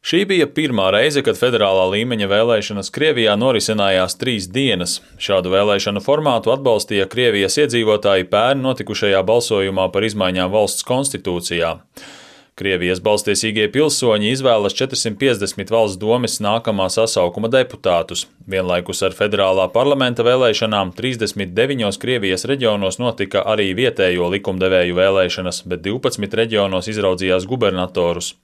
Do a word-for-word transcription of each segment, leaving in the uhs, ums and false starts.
Šī bija pirmā reize, kad federālā līmeņa vēlēšanas Krievijā norisinājās trīs dienas. Šādu vēlēšanu formātu atbalstīja Krievijas iedzīvotāji pērn notikušajā balsojumā par izmaiņām valsts konstitūcijā. Krievijas balstiesīgie pilsoņi izvēlas četrsimt piecdesmit valsts domes nākamā sasaukuma deputātus. Vienlaikus ar federālā parlamenta vēlēšanām trīsdesmit deviņos Krievijas reģionos notika arī vietējo likumdevēju vēlēšanas, bet divpadsmit reģionos izraudzījās gubernatorus.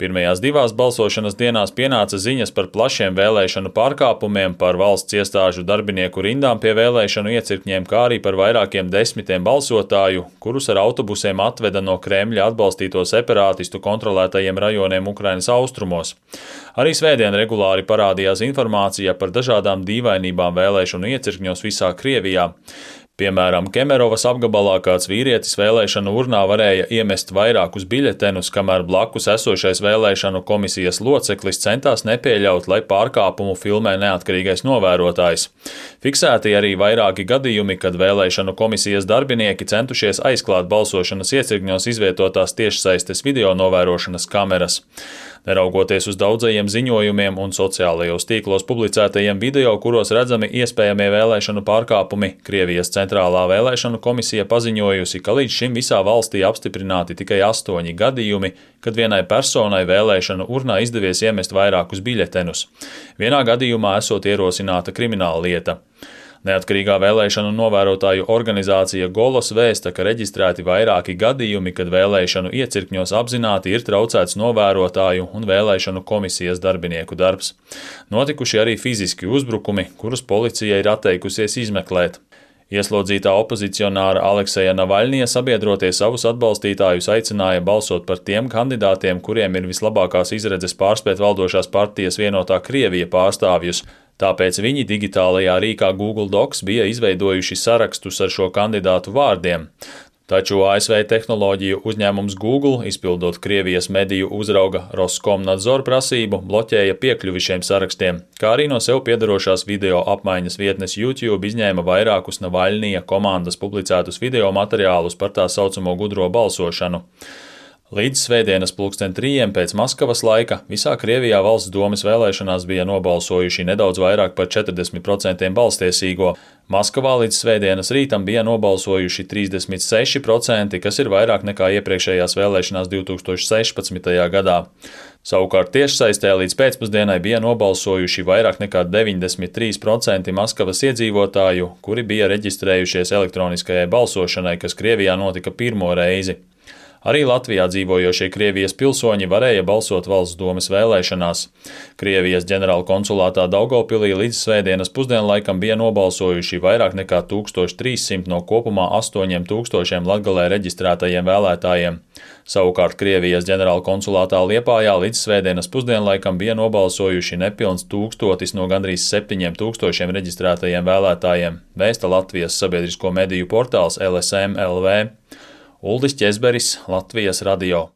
Pirmajās divās balsošanas dienās pienāca ziņas par plašiem vēlēšanu pārkāpumiem, par valsts iestāžu darbinieku rindām pie vēlēšanu iecirkņiem, kā arī par vairākiem desmitiem balsotāju, kurus ar autobusiem atveda no Kremļa atbalstīto separātistu kontrolētajiem rajoniem Ukrainas austrumos. Arī svētdien regulāri parādījās informācija par dažādām dīvainībām vēlēšanu iecirkņos visā Krievijā. Piemēram, Kemerovas apgabalā kāds vīrietis vēlēšanu urnā varēja iemest vairākus biļetenus, kamēr blakus esošais vēlēšanu komisijas loceklis centās nepieļaut, lai pārkāpumu filmē neatkarīgais novērotājs. Fiksēti arī vairāki gadījumi, kad vēlēšanu komisijas darbinieki centušies aizklāt balsošanas iecirkņos izvietotās tiešsaistes video novērošanas kameras. Neraugoties uz daudzajiem ziņojumiem un sociālajos tīklos publicētajiem video, kuros redzami iespējamie vēlēšanu pārkāpumi, Krievijas centrālā vēlēšanu komisija paziņojusi, ka līdz šim visā valstī apstiprināti tikai astoņi gadījumi, kad vienai personai vēlēšanu urnā izdevies iemest vairākus biļetenus. Vienā gadījumā esot ierosināta krimināla lieta. Neatkarīgā vēlēšanu novērotāju organizācija Golos vēsta, ka reģistrēti vairāki gadījumi, kad vēlēšanu iecirkņos apzināti ir traucēts novērotāju un vēlēšanu komisijas darbinieku darbs. Notikuši arī fiziski uzbrukumi, kurus policija ir atteikusies izmeklēt. Ieslodzītā opozicionāra Alekseja Navaļnija sabiedrotie savus atbalstītājus aicināja balsot par tiem kandidātiem, kuriem ir vislabākās izredzes pārspēt valdošās partijas Vienotā Krievija pārstāvjus. Tāpēc viņi digitālajā rīkā Google Docs bija izveidojuši sarakstus ar šo kandidātu vārdiem. Taču A S V tehnoloģiju uzņēmums Google, izpildot Krievijas mediju uzrauga Roskomnadzor prasību, bloķēja piekļuvi šiem sarakstiem, kā arī no sev piederošās video apmaiņas vietnes YouTube izņēma vairākus Navaļnija komandas publicētus video materiālus par tā saucamo gudro balsošanu. Līdz svētdienas pulksten trījiem pēc Maskavas laika visā Krievijā valsts domes vēlēšanās bija nobalsojuši nedaudz vairāk par četrdesmit procentiem balstiesīgo. Maskavā līdz svētdienas rītam bija nobalsojuši trīsdesmit seši procenti, kas ir vairāk nekā iepriekšējās vēlēšanās divi tūkstoši sešpadsmitajā gadā. Savukārt tiešsaistē līdz pēcpusdienai bija nobalsojuši vairāk nekā deviņdesmit trīs procenti Maskavas iedzīvotāju, kuri bija reģistrējušies elektroniskajai balsošanai, kas Krievijā notika pirmo reizi. Arī Latvijā dzīvojošie Krievijas pilsoņi varēja balsot valsts domes vēlēšanās. Krievijas ģenerāla konsulātā Daugavpilī līdz svētdienas pusdienlaikam bija nobalsojuši vairāk nekā tūkstoš trīs simti no kopumā astoņiem tūkstošiem Latgalē reģistrētajiem vēlētājiem. Savukārt Krievijas ģenerāla konsulātā Liepājā līdz svētdienas pusdienlaikam bija nobalsojuši nepilns tūkstotis no gandrīz septiņiem tūkstošiem reģistrētajiem vēlētājiem, vēsta Latvijas sabiedrisko mediju portāls L S M L V. Uldis Ķezberis, Latvijas radio.